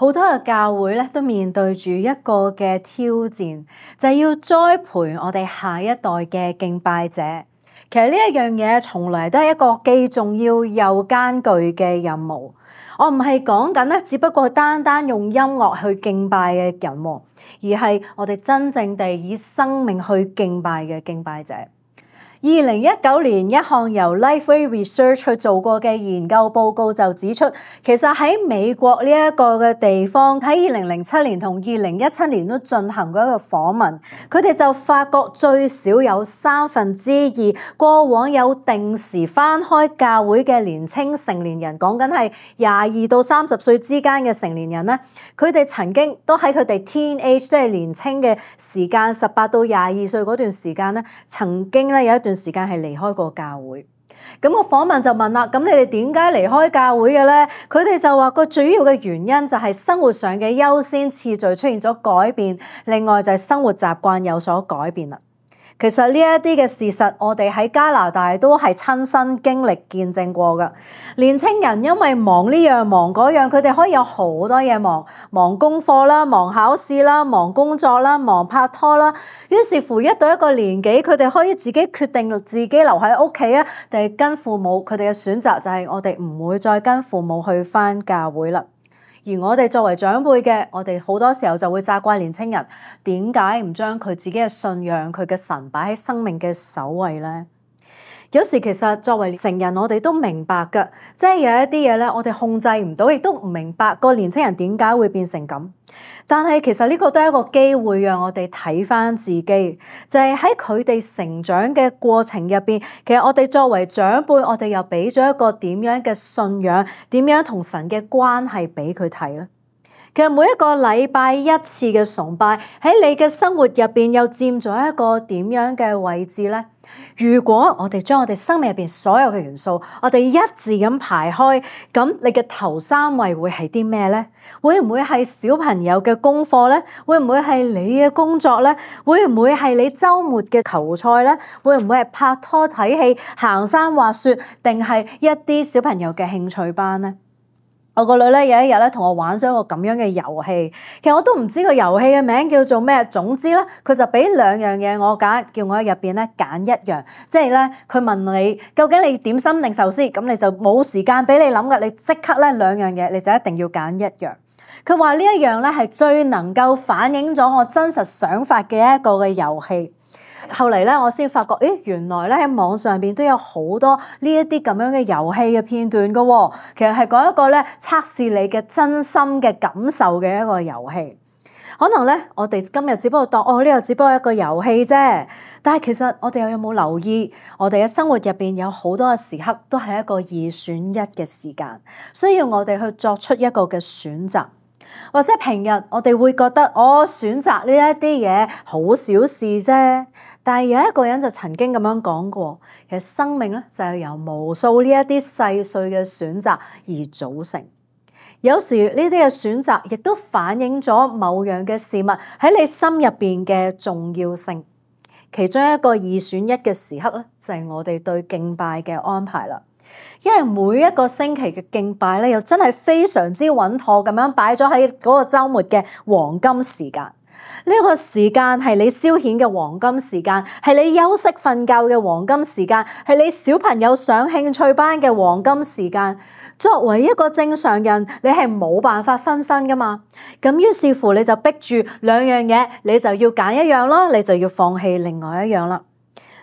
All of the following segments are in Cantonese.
好多嘅教會咧都面對住一個嘅挑戰，就係要栽培我哋下一代嘅敬拜者。其實呢一樣嘢從來都係一個既重要又艱巨嘅任務。我唔係講緊咧，只不過單單用音樂去敬拜嘅人，而係我哋真正地以生命去敬拜嘅敬拜者。2019年一項由 Lifeway Research 去做過嘅研究報告就指出，其實喺美國呢一個嘅地方，喺2007年同2017年都進行過一個訪問，佢哋就發覺最少有2/3過往有定時返開教會嘅年青成年人，講緊係22到30歲之間嘅成年人咧，佢哋曾經都喺佢哋 teenage 即係年青嘅時間18到22歲嗰段時間咧，曾經咧有一段時間係離開過教會。咁個訪問就問啦，咁你哋點解離開教會嘅咧？佢哋就話個主要嘅原因就係生活上嘅優先次序出現咗改變，另外就係生活習慣有所改變啦。其實呢一啲嘅事實，我哋喺加拿大都係親身經歷見證過㗎。年青人因為忙呢樣忙嗰樣，佢哋可以有好多嘢忙，忙功課啦，忙考試啦，忙工作啦，忙拍拖啦。於是乎，一到一個年紀，佢哋可以自己決定自己留喺屋企啊，定係跟父母。佢哋嘅選擇就係我哋唔會再跟父母去返教會啦。而我哋作為長輩嘅，我哋好多時候就會責怪年青人點解唔將佢自己嘅信仰、佢嘅神擺喺生命嘅首位咧？有時其實作為成人，我哋都明白㗎，即係有一啲嘢咧，我哋控制唔到，亦都唔明白個年青人點解會變成咁。但係其實呢個都係一個機會，讓我哋睇返自己，就係喺佢哋成長嘅過程入邊，其實我哋作為長輩，我哋又俾咗一個點樣嘅信仰，點樣同神嘅關係俾佢睇咧？其實每一個禮拜一次嘅崇拜喺你嘅生活入邊又佔咗一個點樣嘅位置咧？如果我哋將我哋生命入邊所有嘅元素，我哋一字咁排開，咁你嘅頭3位會係啲咩咧？會唔會係小朋友嘅功課咧？會唔會係你嘅工作咧？會唔會係你週末嘅球賽咧？會唔會係拍拖睇戲、行山滑雪，定係一啲小朋友嘅興趣班咧？我個女咧有一日咧同我玩咗一個咁樣嘅遊戲，其實我都唔知個遊戲嘅名叫做咩，總之咧佢就俾2樣嘢我揀，叫我喺入邊咧揀一樣，即係咧佢問你究竟你點心定壽司，咁你就冇時間俾你諗㗎，你即刻咧2樣嘢你就一定要揀一樣。佢話呢一樣咧係最能夠反映咗我真實想法嘅一個嘅遊戲。後嚟咧，我先發覺，原來咧喺網上邊都有好多呢一啲咁樣嘅遊戲嘅片段㗎喎。其實係講一個咧測試你嘅真心嘅感受嘅一個遊戲。可能咧，我哋今日只不過當呢個只不過一個遊戲啫。但係其實我哋有冇留意，我哋嘅生活入邊有好多嘅時刻都係一個2選1嘅時間，需要我哋去作出一個嘅選擇。或者平日我哋會覺得我選擇呢一啲嘢好小事啫，但係有一個人就曾經咁樣講過，其實生命咧就係由無數呢一啲細碎嘅選擇而組成。有時呢啲嘅選擇亦都反映咗某樣嘅事物喺你心入邊嘅重要性。其中一個2選1嘅時刻咧，就係我哋對敬拜嘅安排啦。因為每一個星期嘅敬拜咧，又真係非常之穩妥咁樣擺咗喺嗰個週末嘅黃金時間。呢個時間係你消遣嘅黃金時間，係你休息瞓覺嘅黃金時間，係你小朋友上興趣班嘅黃金時間。作為一個正常人，你係冇辦法分身噶嘛。咁於是乎你就逼住2樣嘢，你就要揀一樣咯，你就要放棄另外一樣啦。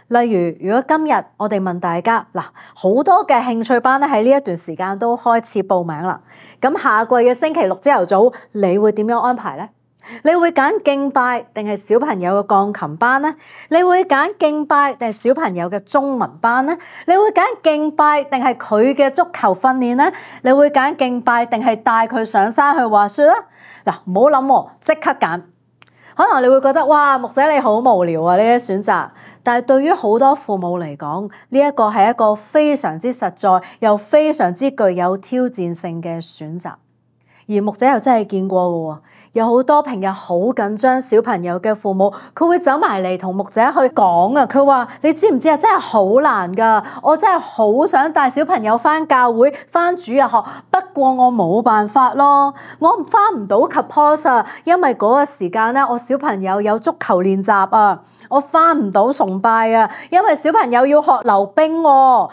例如，如果今日我哋問大家，好多嘅興趣班咧喺呢一段時間都開始報名啦。咁下季嘅星期6朝頭早，你會點樣安排咧？你會揀敬拜定係小朋友嘅鋼琴班咧？你會揀敬拜定係小朋友嘅中文班咧？你會揀敬拜定係佢嘅足球訓練咧？你會揀敬拜定係帶佢上山去滑雪咧？唔好諗喎，即刻揀。可能你會覺得哇，牧者你好無聊啊，呢啲選擇。但係對於好多父母嚟講，呢一個係一個非常之實在又非常之具有挑戰性嘅選擇。而牧者又真係見過嘅喎，有好多平日好緊張小朋友嘅父母，佢會走埋嚟同牧者去講啊。佢話：你知唔知啊？真係好難㗎，我真係好想帶小朋友返教會、返主日學，不過我冇辦法咯，我返唔到 Kapos 啊，因為嗰個時間咧，我小朋友有足球練習啊。我返唔到崇拜啊，因為小朋友要學溜冰喎，我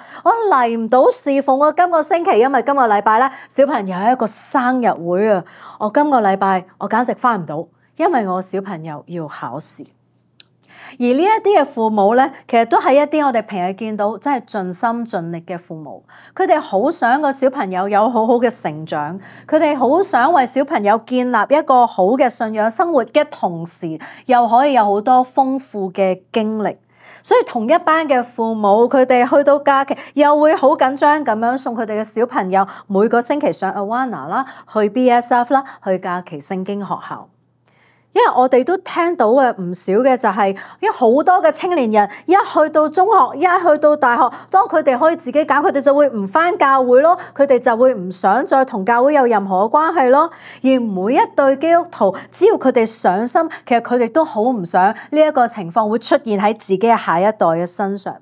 嚟唔到侍奉啊。今個星期因為今個禮拜咧，小朋友有一個生日會啊，我今個禮拜我簡直返唔到，因為我小朋友要考試。而呢一啲嘅父母咧，其實都係一啲我哋平日見到真係盡心盡力嘅父母，佢哋好想個小朋友有好好嘅成長，佢哋好想為小朋友建立一個好嘅信仰生活嘅同時，又可以有好多豐富嘅經歷。所以同一班嘅父母，佢哋去到假期又會好緊張咁樣送佢哋嘅小朋友每個星期上 Awana 啦，去 BSF 啦，去假期聖經學校。因為我哋都聽到嘅唔少嘅就係，因為好多嘅青年人一去到中學，一去到大學，當佢哋可以自己揀，佢哋就會唔返教會咯，佢哋就會唔想再同教會有任何嘅關係咯。而每一對基督徒，只要佢哋上心，其實佢哋都好唔想呢一個情況會出現喺自己嘅下一代嘅身上。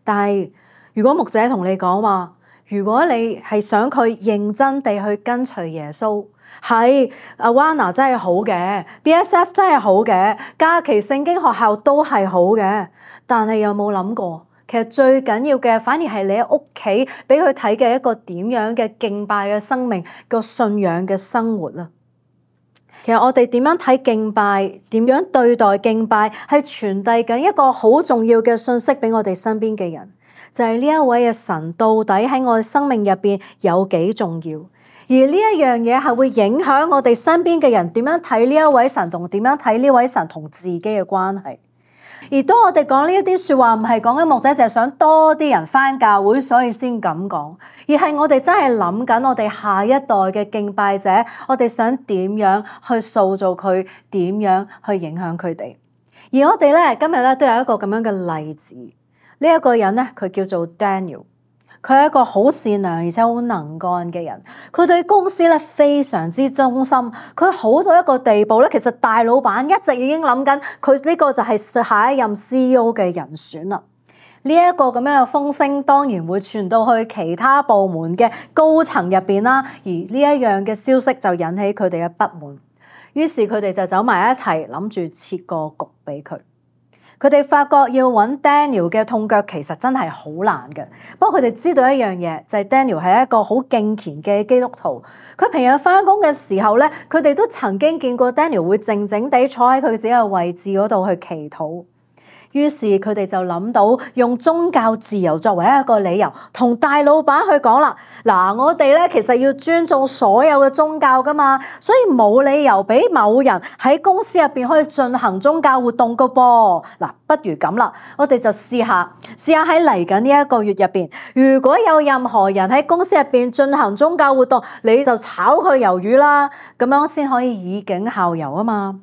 但係如果牧者同你講話，如果你係想佢認真地去跟隨耶穌，係Awana真係好嘅 ，BSF 真係好嘅，假期聖經學校都係好嘅。但係有冇諗過，其實最緊要嘅反而係你喺屋企俾佢睇嘅一個點樣嘅敬拜嘅生命，個信仰嘅生活啦。其實我哋點樣睇敬拜，點樣對待敬拜，係傳遞緊一個好重要嘅信息俾我哋身邊嘅人，就係呢一位嘅神到底喺我哋生命入邊有幾重要。而呢一樣嘢係會影響我哋身邊嘅人點樣睇呢一位神，同點樣睇呢位神同自己嘅關係。而當我哋講呢一啲説話，唔係講緊牧者，就係想多啲人返教會，所以先咁講，而係我哋真係諗緊我哋下一代嘅敬拜者，我哋想點樣去塑造佢，點樣去影響佢哋。而我哋咧今日咧都有一個咁樣嘅例子，呢一個人咧佢叫做 Daniel。佢係一個好善良而且好能幹嘅人，佢對公司咧非常之忠心，佢好到一個地步咧，其實大老闆一直已經諗緊佢呢個就係下一任 CEO 嘅人選啦。呢一個咁樣嘅風聲當然會傳到去其他部門嘅高層入邊啦，而呢一樣嘅消息就引起佢哋嘅不滿，於是佢哋就走埋一齊諗住設個局俾佢。佢哋發覺要揾 Daniel 嘅痛腳其實真係好難嘅，不過佢哋知道一樣嘢，就係 Daniel 係一個好敬虔嘅基督徒。佢平日返工嘅時候咧，佢哋都曾經見過 Daniel 會靜靜地坐喺佢自己嘅位置嗰度去祈禱。於是佢哋就諗到用宗教自由作為一個理由，同大老闆去講啦。嗱，我哋咧其實要尊重所有嘅宗教噶嘛，所以冇理由俾某人喺公司入邊可以進行宗教活動噶噃。嗱，不如咁啦，我哋就試下喺嚟緊呢一個月入邊，如果有任何人喺公司入邊進行宗教活動，你就炒佢魷魚啦，咁樣先可以以儆效尤啊嘛。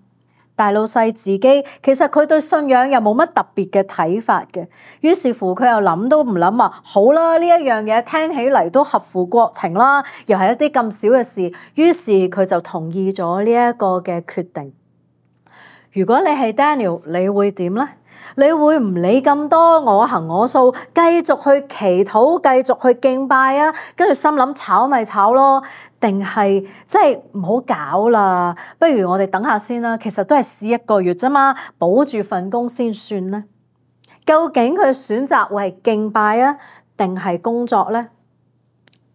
大老細自己其實佢對信仰又冇乜特別嘅睇法嘅，於是乎佢又諗都唔諗話，好啦，呢一樣嘢聽起嚟都合乎國情啦，又係一啲咁少嘅事，於是佢就同意咗呢一個嘅決定。如果你係 Daniel， 你會點呢？你會唔理咁多我行我素，繼續去祈禱，繼續去敬拜啊？跟住心諗炒咪炒咯，定係即係唔好搞啦？不如我哋等下先啦。其實都係試1個月啫嘛，保住份工先算呢。究竟佢選擇會係敬拜啊，定係工作呢？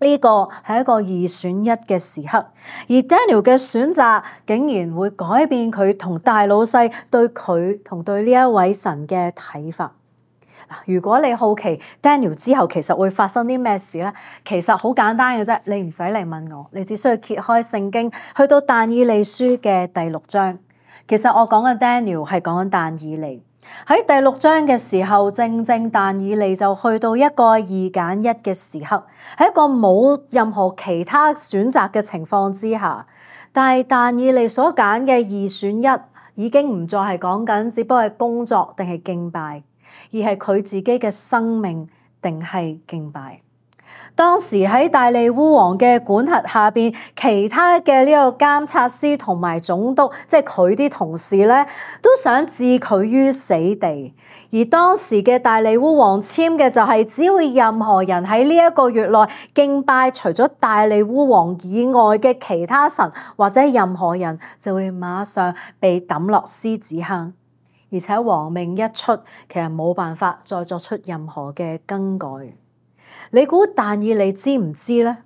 呢個係一個2選1嘅時刻，而 Daniel 嘅選擇竟然會改變佢同大老細對佢同對呢一位神嘅睇法。如果你好奇 Daniel 之後其實會發生啲咩事咧，其實好簡單嘅啫，你唔使嚟問我，你只需要揭開聖經，去到但以理書嘅第6章。其實我講嘅 Daniel 係講緊但以理。喺第6章嘅時候，正但以理就去到一個2揀1嘅時刻，喺一個冇任何其他選擇嘅情況之下，但以理所揀嘅2選1已經唔再係講緊，只不過係工作定係敬拜，而係佢自己嘅生命定係敬拜。當時喺大利烏王嘅管轄下邊，其他嘅呢個監察司同埋總督，即係佢啲同事咧，都想置佢於死地。而當時嘅大利烏王簽嘅就係，只要任何人喺呢一個月內敬拜除咗大利烏王以外嘅其他神或者任何人，就會馬上被抌落獅子坑。而且王命一出，其實冇辦法再作出任何嘅更改。你估但以理知唔知呢？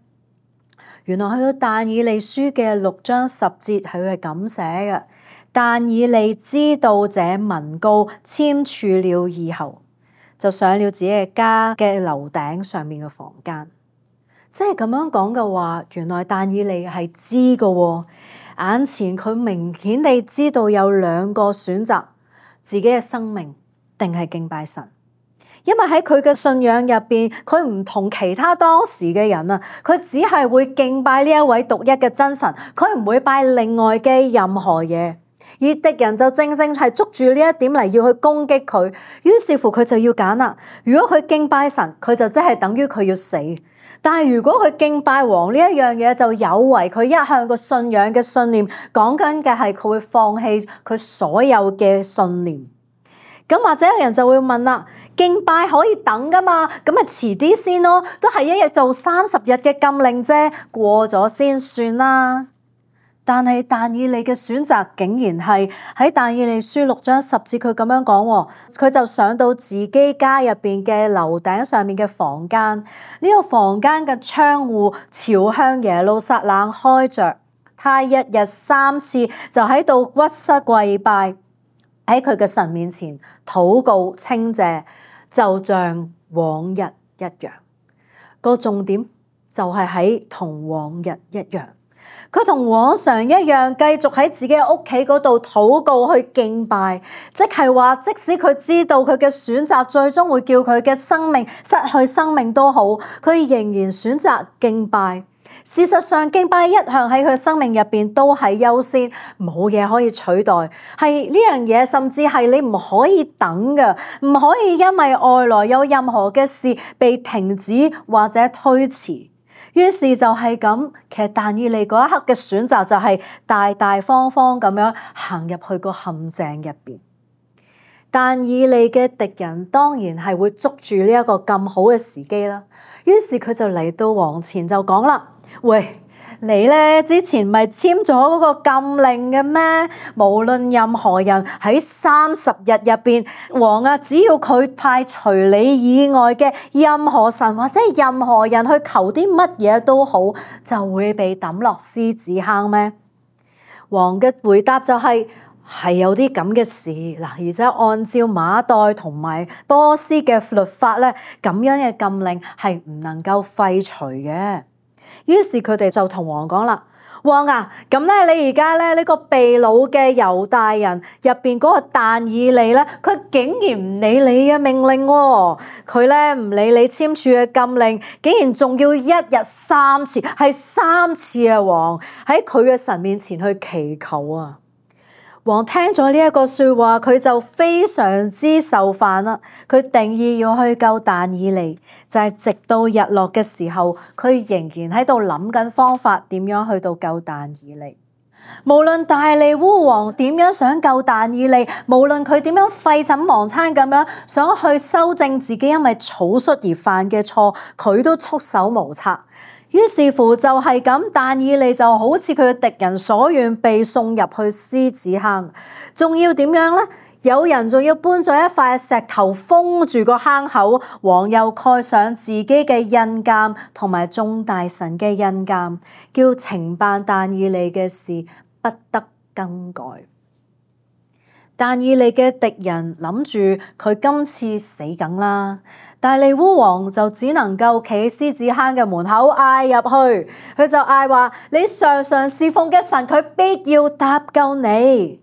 原來去到但以理書嘅6章10節，佢係咁寫嘅：但以理知道這文告簽署了以後，就上了自己嘅家嘅樓頂上面嘅房間。即係咁樣講嘅話，原來但以理係知嘅喎。眼前佢明顯地知道有兩個選擇。自己嘅生命定係敬拜神，因為喺佢嘅信仰入邊，佢唔同其他當時嘅人啊，佢只係會敬拜呢一位獨一嘅真神，佢唔會拜另外嘅任何嘢。而敵人就正正係捉住呢一點嚟要去攻擊佢，於是乎佢就要揀啦。如果佢敬拜神，佢就即係等於佢要死。但係如果佢敬拜王呢一樣嘢，就有違佢一向個信仰嘅信念，講緊嘅係佢會放棄佢所有嘅信念。咁或者有人就會問啦，敬拜可以等噶嘛？咁咪遲啲先咯，都係一日做30日嘅禁令啫，過咗先算啦。但係但以理嘅選擇竟然係喺但以理書6章10節，佢咁樣講，佢就上到自己家入邊嘅樓頂上面嘅房間，呢個房間嘅窗戶朝向耶路撒冷開着，他一日3次就喺度屈膝跪拜，喺佢嘅神面前禱告稱謝，就像往日一樣。個重點就係喺同往日一樣。佢同往常一樣，繼續喺自己嘅屋企嗰度禱告去敬拜，即係話，即使佢知道佢嘅選擇最終會叫佢嘅生命失去生命都好，佢仍然選擇敬拜。事實上，敬拜一向喺佢生命入邊都係優先，冇嘢可以取代。係呢樣嘢，甚至係你唔可以等嘅，唔可以因為外來有任何嘅事被停止或者推遲。於是就係咁，其實但以理嗰一刻嘅選擇就係大大方方咁樣行入去個陷阱入邊。但以理嘅敵人當然係會捉住呢一個咁好嘅時機啦。於是佢就嚟到王前就講啦：喂，你咧之前咪簽咗嗰個禁令嘅咩？無論任何人喺30日入邊，王啊，只要佢派除你以外嘅任何神或者任何人去求啲乜嘢都好，就會被抌落獅子坑咩？王嘅回答就係有啲咁嘅事嗱，而且按照馬代同埋波斯嘅律法咧，咁樣嘅禁令係唔能夠廢除嘅。於是佢哋就同王講啦：王啊，咁咧你而家咧呢個被擄嘅猶大人入邊嗰個但以理咧，佢竟然唔理你嘅命令喎，佢咧唔理你簽署嘅禁令，竟然仲要一日3次，係3次啊！王喺佢嘅神面前去祈求啊！王聽咗呢一個說話，佢就非常之受煩啦。佢定意要去救但以理，就係直到日落嘅時候，佢仍然喺度諗緊方法點樣去到救但以理。無論大利烏王點樣想救但以理，無論佢點樣廢寢忘餐咁樣想去修正自己因為草率而犯嘅錯，佢都束手無策。於是乎就係咁，但以理就好似佢嘅敵人所願，被送入去獅子坑。仲要點樣呢？有人仲要搬咗一塊石頭封住個坑口，王又蓋上自己嘅印鑑同埋眾大臣嘅印鑑，叫懲辦但以理嘅事不得更改。但以理嘅敵人諗住佢今次死梗啦，大利烏王就只能夠企喺獅子坑嘅門口嗌入去，佢就嗌話：你常常侍奉嘅神，佢必要搭救你。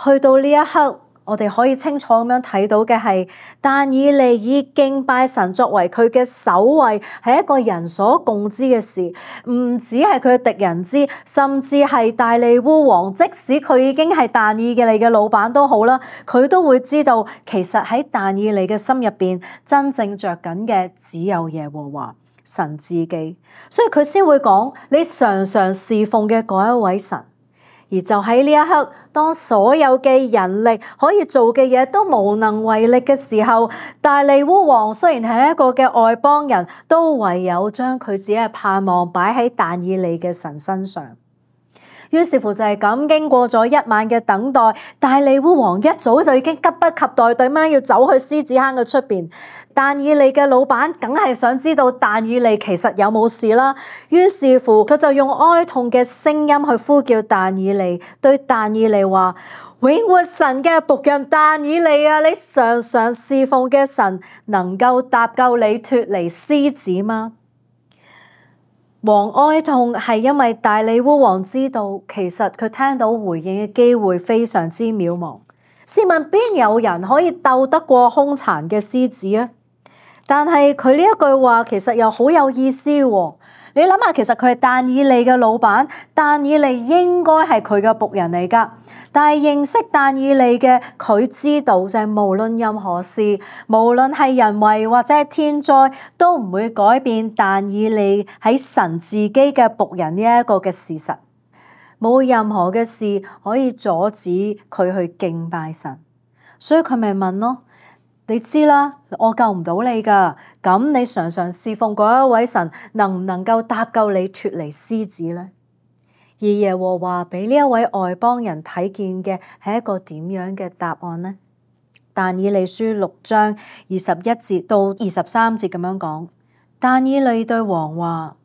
去到呢一刻，我哋可以清楚咁樣睇到嘅係，但以理以敬拜神作為佢嘅首位，係一個人所共知嘅事，唔止係佢嘅敵人知，甚至係大利烏王，即使佢已經係但以理嘅老闆都好啦，佢都會知道，其實喺但以理嘅心入邊，真正着緊嘅只有耶和華，神自己，所以佢先會講你常常侍奉嘅嗰一位神。而就喺呢一刻，當所有嘅人力可以做嘅嘢都無能為力嘅時候，大利烏王雖然係一個嘅外邦人，都唯有將佢自己嘅盼望擺喺但以理嘅神身上。於是乎就係咁，經過咗一晚嘅等待，大利烏王一早就已經急不及待咁樣要走去獅子坑嘅出邊。但以理嘅老闆梗係想知道但以理其實有冇事啦，於是乎佢就用哀痛嘅聲音去呼叫但以理，對但以理話：永活神嘅僕人但以理啊，你常常侍奉嘅神能夠搭救你脫離獅子嗎？王哀痛係因為大利烏王知道，其實佢聽到回應嘅機會非常之渺茫。試問邊有人可以鬥得過兇殘嘅獅子啊？但係佢呢一句話其實又好有意思喎。你諗下，其實佢係但以理嘅老闆，但以理應該係佢嘅僕人嚟㗎。但係認識但以理嘅佢知道，就係無論任何事，無論係人為或者係天災，都唔會改變但以理喺神自己嘅僕人呢一個嘅事實。冇任何嘅事可以阻止佢去敬拜神，所以佢咪問咯。你知啦，我救唔到你噶，咁你常常侍奉嗰一位神，能唔能夠搭救你脫離獅子呢？而耶和華俾呢一位外邦人睇見嘅係一個點樣嘅答案呢？但以理書6章21節到23節咁樣講，但以理對王話：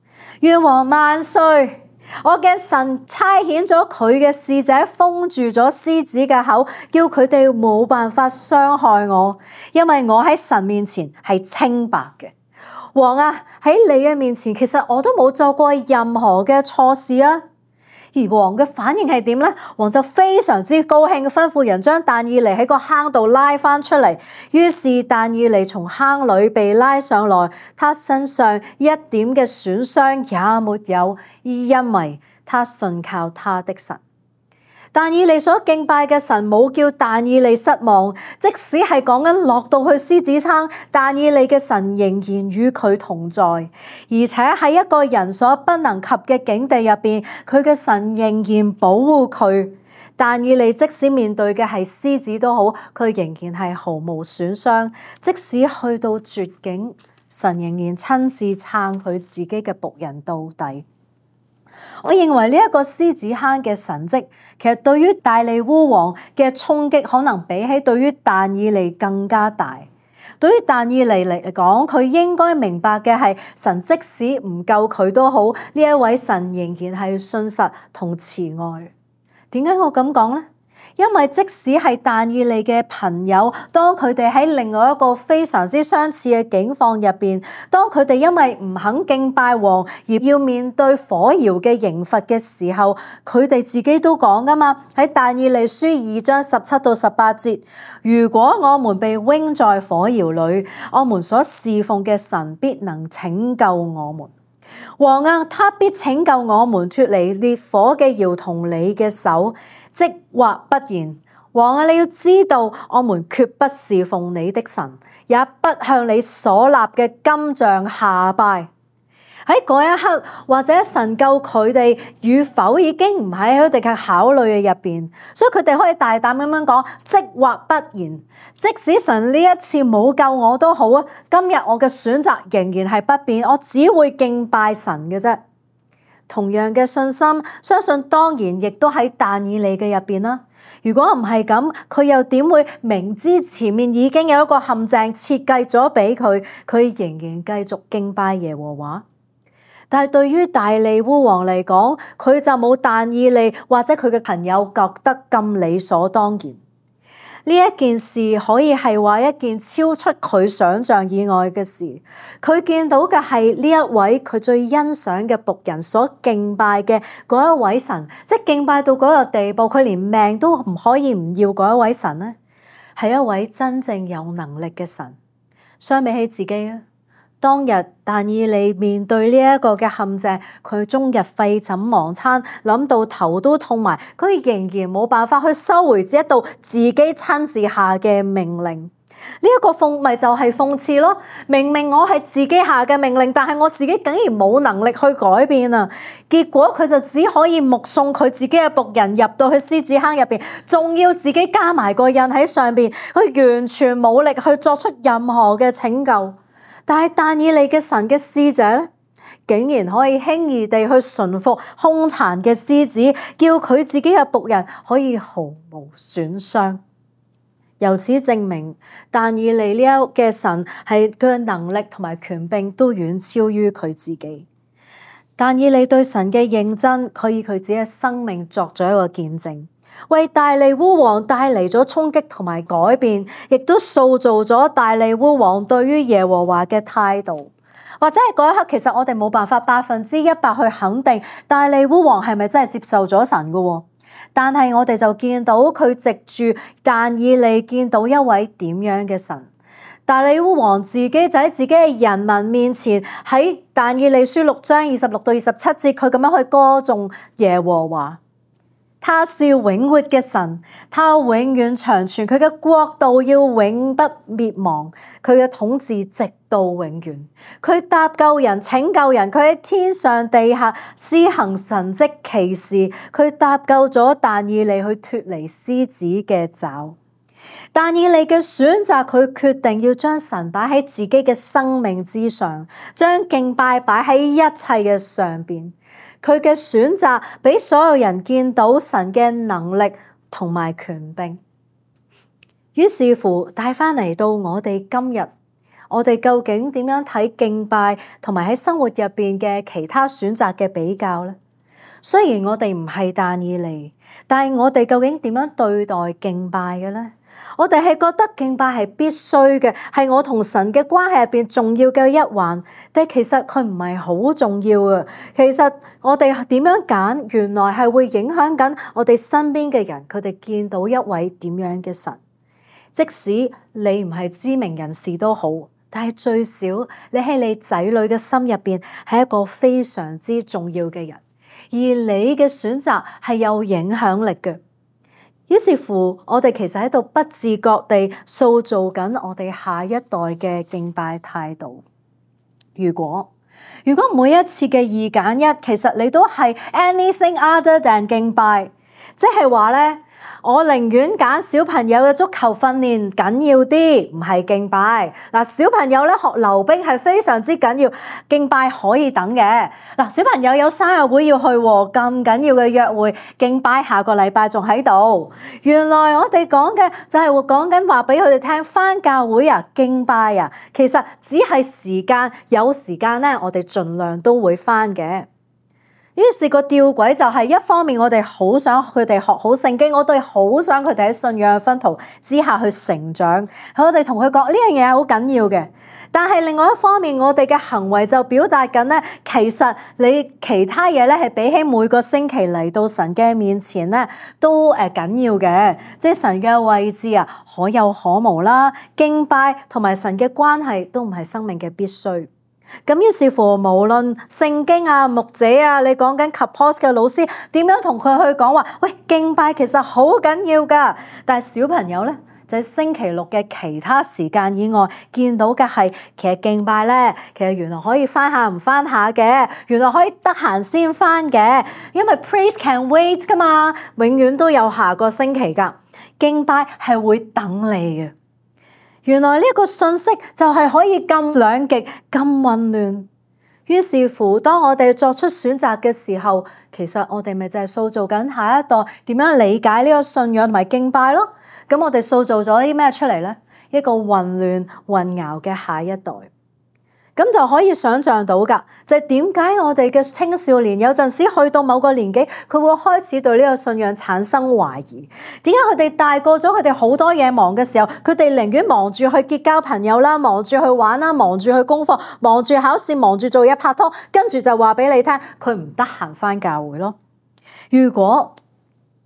願王萬歲！我嘅神差遣咗佢嘅使者封住咗獅子嘅口，叫佢哋冇辦法傷害我，因為我喺神面前係清白嘅。王啊，喺你嘅面前，其實我都冇做過任何嘅錯事啊。而王嘅反應係點呢？王就非常之高興，吩咐人將但以理喺個坑度拉翻出嚟。於是但以理從坑裏被拉上來，他身上一點嘅損傷也沒有，因為他信靠他的神。但以理所敬拜嘅神冇叫但以理失望，即使係講緊落到去獅子坑，但以理嘅神仍然與佢同在，而且喺一個人所不能及嘅境地入邊，佢嘅神仍然保護佢。但以理即使面對嘅係獅子都好，佢仍然係毫無損傷。即使去到絕境，神仍然親自撐佢自己嘅僕人到底。我認為呢一個獅子坑嘅神蹟，其實對於大利烏王嘅衝擊，可能比起對於但以理更加大。對於但以理嚟講，佢應該明白嘅係，神即使唔救佢都好，呢一位神仍然係信實同慈愛。點解我咁講呢？因為即使係但以理嘅朋友，當佢哋喺另外一個非常之相似嘅境況入邊，當佢哋因為唔肯敬拜王而要面對火窯嘅刑罰嘅時候，佢哋自己都講㗎嘛，喺但以理書2章17到18節，如果我們被扔在火窯裏，我們所侍奉嘅神必能拯救我們。王啊，他必拯救我們脫離烈火嘅窯同你嘅手，即或不然。王啊，你要知道，我們決不侍奉你的神，也不向你所立嘅金像下拜。喺嗰一刻，或者神救佢哋與否已經唔喺佢哋嘅考慮嘅入邊，所以佢哋可以大膽咁樣講，即或不然。即使神呢一次冇救我都好啊，今日我嘅選擇仍然係不變，我只會敬拜神嘅啫。同樣嘅信心，相信當然亦都喺但以理嘅入邊啦。如果唔係咁，佢又點會明知前面已經有一個陷阱設計咗俾佢，佢仍然繼續敬拜耶和華？但係對於大利烏王嚟講，佢就冇但以理或者佢嘅朋友覺得咁理所當然。呢一件事可以係話一件超出佢想象以外嘅事。佢見到嘅係呢一位佢最欣賞嘅僕人所敬拜嘅嗰一位神，即係敬拜到嗰個地步，佢連命都唔可以唔要嗰一位神呢，係一位真正有能力嘅神。相比起自己啊，當日但以理面對呢一個嘅陷阱，佢終日廢寢忘餐，諗到頭都痛埋，佢仍然冇辦法去收回一道自己親自下嘅命令。呢一個咪就係諷刺咯。明明我係自己下嘅命令，但係我自己竟然冇能力去改變啊！結果佢就只可以目送佢自己嘅僕人入到去獅子坑入邊，仲要自己加埋個印喺上邊，佢完全冇力去作出任何嘅拯救。但係但以理嘅神嘅使者咧，竟然可以輕易地去馴服兇殘嘅獅子，叫佢自己嘅僕人可以毫無損傷。由此證明，但以理呢一嘅神係佢嘅能力同埋權柄都遠超於佢自己。但以理對神嘅認真，佢以佢自己嘅生命作咗一個見證，為大利烏王帶嚟咗衝擊同埋改變，亦都塑造咗大利烏王對於耶和華嘅態度。或者係嗰一刻，其實我哋冇辦法100%去肯定大利烏王係咪真係接受咗神嘅。但係我哋就見到佢藉住但以理見到一位點樣嘅神。大利烏王自己就喺自己嘅人民面前，喺但以理書6章26到27節，佢咁樣去歌頌耶和華。他是永活嘅神，他永遠長存，佢嘅國度要永不滅亡，佢嘅統治直到永遠。佢搭救人、拯救人，佢喺天上地下施行神蹟奇事，佢搭救咗但以理去脫離獅子嘅爪。但以理嘅選擇，佢決定要將神擺喺自己嘅生命之上，將敬拜擺喺一切嘅上邊。佢嘅選擇俾所有人見到神嘅能力同埋權柄。於是乎帶翻嚟到我哋今日，我哋究竟點樣睇敬拜同埋喺生活入邊嘅其他選擇嘅比較呢？雖然我哋唔係但以理，但係我哋究竟點樣對待敬拜嘅呢？我哋係覺得敬拜係必須嘅，係我同神嘅關係入邊重要嘅一環，但其實佢唔係好重要啊。其實我哋點樣揀，原來係會影響緊我哋身邊嘅人，佢哋見到一位點樣嘅神。即使你唔係知名人士都好，但係最少你喺你仔女嘅心入邊係一個非常之重要嘅人，而你嘅選擇係有影響力嘅。於是乎，我哋其實喺度不自覺地塑造緊我哋下一代嘅敬拜態度。如果每一次嘅2揀1，其實你都係 anything other than 敬拜，即係話咧，我寧願揀小朋友嘅足球訓練緊要啲，唔係敬拜。嗱，小朋友咧學溜冰係非常之緊要，敬拜可以等嘅。嗱，小朋友有生日會要去喎，咁緊要嘅約會，敬拜下個禮拜仲喺度。原來我哋講嘅就係講緊話俾佢哋聽，返教會啊，敬拜啊，其實只係時間，有時間咧，我哋盡量都會返嘅。於是個吊詭就係一方面我哋好想佢哋學好聖經，我哋好想佢哋喺信仰嘅薰陶之下去成長，我哋同佢講呢樣嘢係好緊要嘅。但係另外一方面，我哋嘅行為就表達緊咧，其實你其他嘢咧係比起每個星期嚟到神嘅面前咧都緊要嘅，即係神嘅位置啊可有可無啦，敬拜同埋神嘅關係都唔係生命嘅必須。咁於是乎，無論聖經啊、牧者啊，你講緊 Kapos 嘅老師點樣同佢去講話，喂，敬拜其實好緊要噶。但係小朋友咧，就喺星期6嘅其他時間以外，見到嘅係其實敬拜咧，其實原來可以翻下唔翻下嘅，原來可以得閒先翻嘅，因為 praise can wait 噶嘛，永遠都有下個星期噶，敬拜係會等你嘅。原來呢個信息就係可以咁兩極、咁混亂。於是乎，當我哋作出選擇嘅時候，其實我哋咪就係塑造緊下一代點樣理解呢個信仰同埋敬拜咯。咁我哋塑造咗啲咩出嚟呢？一個混亂、混淆嘅下一代。咁就可以想像到㗎，就係點解我哋嘅青少年有陣時去到某個年紀，佢會開始對呢個信仰產生懷疑。點解佢哋大個咗，佢哋好多嘢忙嘅時候，佢哋寧願忙住去結交朋友啦，忙住去玩啦，忙住去功課，忙住考試，忙住做嘢拍拖，跟住就話俾你聽，佢唔得閒返教會咯。如果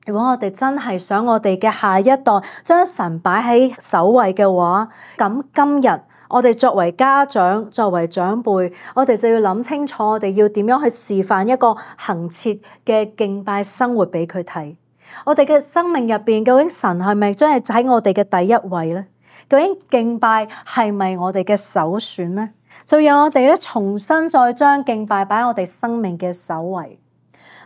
我哋真係想我哋嘅下一代將神擺喺首位嘅話，咁今日我哋作為家長、作為長輩，我哋就要諗清楚，我哋要點樣去示範一個恆切嘅敬拜生活俾佢睇。我哋嘅生命入邊，究竟神係咪真係喺我哋嘅第一位呢？究竟敬拜係咪我哋嘅首選呢？就讓我哋咧重新再將敬拜擺喺我哋生命嘅首位。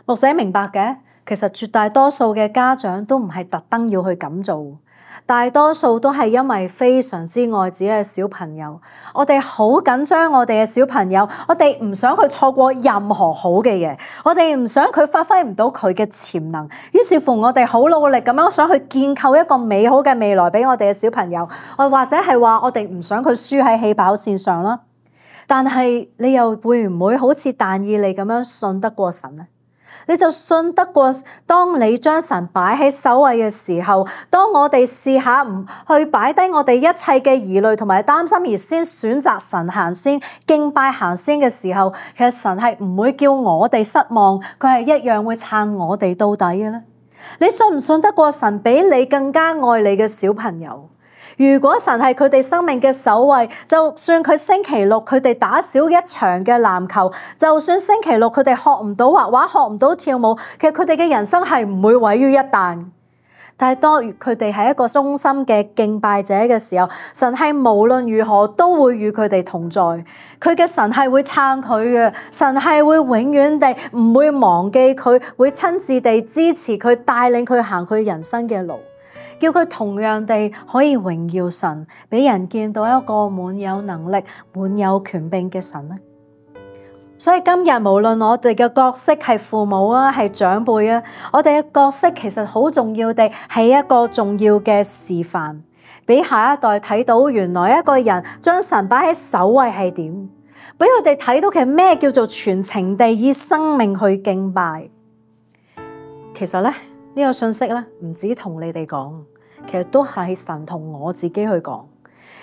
牧者明白嘅，其實絕大多數嘅家長都唔係特登要去咁做，大多數都係因為非常之愛自己嘅小朋友，我哋好緊張我哋嘅小朋友，我哋唔想佢錯過任何好嘅嘢，我哋唔想佢發揮唔到佢嘅潛能，於是乎我哋好努力咁樣想去建構一個美好嘅未來俾我哋嘅小朋友，或者係話我哋唔想佢輸喺起跑線上啦。但係你又會唔會好似但以理咁樣信得過神呢？你就信得過，當你將神擺喺首位嘅時候，當我哋試下唔去擺低我哋一切嘅疑慮同埋擔心，而先選擇神行先，敬拜行先嘅時候，其實神係唔會叫我哋失望，佢係一樣會撐我哋到底嘅咧。你信唔信得過神比你更加愛你嘅小朋友？如果神係佢哋生命嘅首位，就算佢星期六佢哋打少一場嘅籃球，就算星期六佢哋學唔到畫畫、學唔到跳舞，其實佢哋嘅人生係唔會毀於一旦。但係當佢哋係一個忠心嘅敬拜者嘅時候，神係無論如何都會與佢哋同在，佢嘅神係會撐佢嘅，神係會永遠地唔會忘記佢，會親自地支持佢，帶領佢行佢人生嘅路。叫佢同樣地可以榮耀神，俾人見到一個滿有能力、滿有權柄嘅神咧。所以今日無論我哋嘅角色係父母啊，係長輩啊，我哋嘅角色其實好重要地係一個重要嘅示範，俾下一代睇到原來一個人將神擺喺首位係點，俾佢哋睇到其實咩叫做全情地以生命去敬拜。其實咧呢個信息咧唔止同你哋講，其實都係神同我自己去講。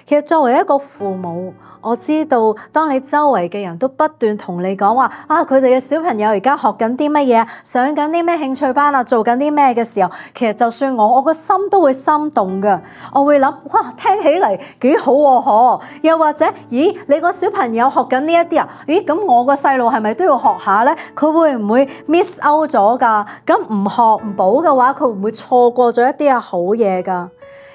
其實作為一個父母，我知道當你周圍嘅人都不斷同你講話啊，佢哋嘅小朋友而家學緊啲乜嘢，上緊啲咩興趣班啊，做緊啲咩嘅時候，其實就算我個心都會心動噶。我會諗哇，聽起嚟幾好喎，嗬！又或者咦，你個小朋友學緊呢一啲啊？咦，咁我個細路係咪都要學下咧？佢會唔會 miss out 咗噶？咁唔學唔補嘅話，佢會唔會錯過咗一啲好嘢噶？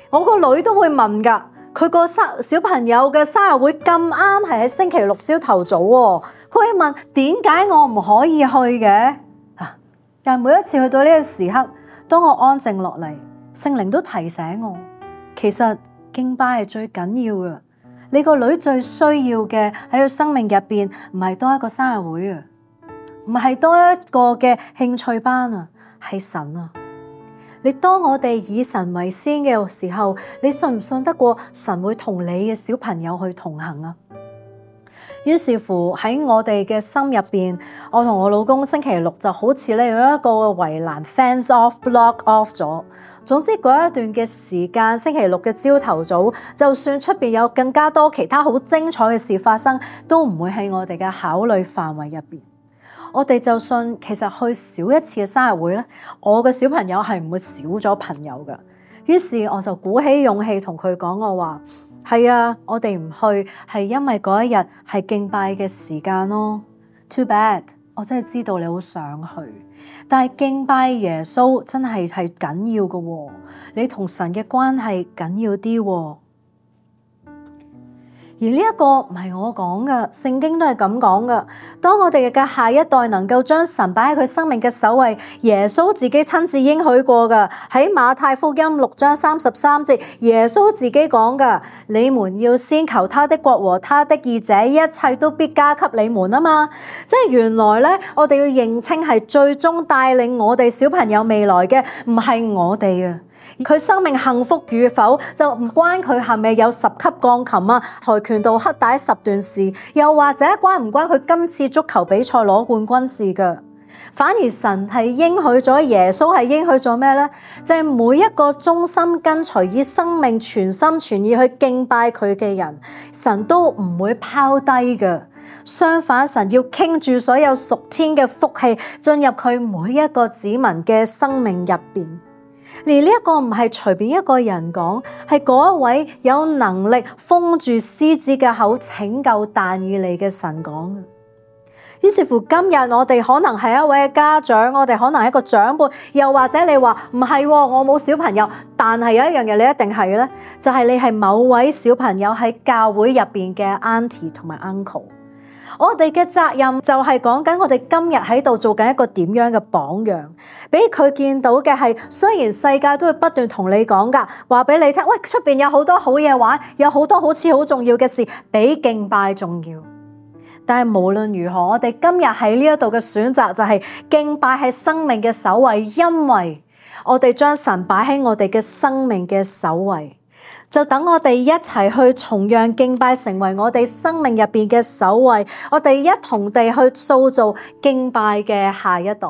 我個女都會問噶。佢個小朋友嘅生日會咁啱係喺星期六朝頭早喎，佢會問點解我唔可以去嘅？但係每一次去到呢個時刻，當我安靜落嚟，聖靈都提醒我，其實敬拜係最緊要嘅。你個女最需要嘅喺佢生命入邊，唔係多一個生日會啊，唔係多一個嘅興趣班啊，係神啊！你當我哋以神為先嘅時候，你信唔信得過神會同你嘅小朋友去同行啊？於是乎喺我哋嘅心入邊，我同我老公星期六就好似咧有一個圍欄 fence off、block off 咗。總之嗰一段嘅時間，星期六嘅朝頭早，就算出邊有更加多其他好精彩嘅事發生，都唔會喺我哋嘅考慮範圍入邊。我哋就信，其實去少一次嘅生日會咧，我嘅小朋友係唔會少咗朋友噶。於是我就鼓起勇氣同佢講，我話係啊，我哋唔去係因為嗰一日係敬拜嘅時間咯。Too bad，我真係知道你好想去，但係敬拜耶穌真係緊要嘅喎，你同神嘅關係緊要啲喎。而呢一個唔係我講嘅，聖經都係咁講嘅。當我哋嘅下一代能夠將神擺喺佢生命嘅首位，耶穌自己親自應許過嘅，喺馬太福音6章33節，耶穌自己講嘅，你們要先求他的國和他的義，這一切都必加給你們啊嘛。即係原來咧，我哋要認清係最終帶領我哋小朋友未來嘅，唔係我哋啊。佢生命幸福與否就唔關佢係咪有10級鋼琴啊、跆拳道黑帶10段事，又或者關唔關佢今次足球比賽攞冠軍事㗎。反而神係應許咗，耶穌係應許咗咩呢？就係每一個忠心跟隨以生命全心全意去敬拜佢嘅人，神都唔會拋低㗎。相反，神要傾住所有屬天嘅福氣進入佢每一個子民嘅生命入邊。而呢一個唔係隨便一個人講，係嗰一位有能力封住獅子嘅口拯救但以理嘅神講嘅。於是乎今日我哋可能係一位家長，我哋可能係一個長輩，又或者你話唔係，我冇小朋友，但係有一樣嘢你一定係咧，就係你係某位小朋友喺教會入邊嘅 auntie 同埋 uncle。我哋嘅責任就係講緊我哋今日喺度做緊一個點樣嘅榜樣，俾佢見到嘅係，雖然世界都會不斷同你講㗎，話俾你聽，喂，出邊有好多好嘢玩，有好多好似好重要嘅事，比敬拜重要。但係無論如何，我哋今日喺呢一度嘅選擇就係敬拜係生命嘅首位，因為我哋將神擺喺我哋嘅生命嘅首位。就等我哋一齊去重讓敬拜成為我哋生命入邊嘅首位，我哋一同地去塑造敬拜嘅下一代。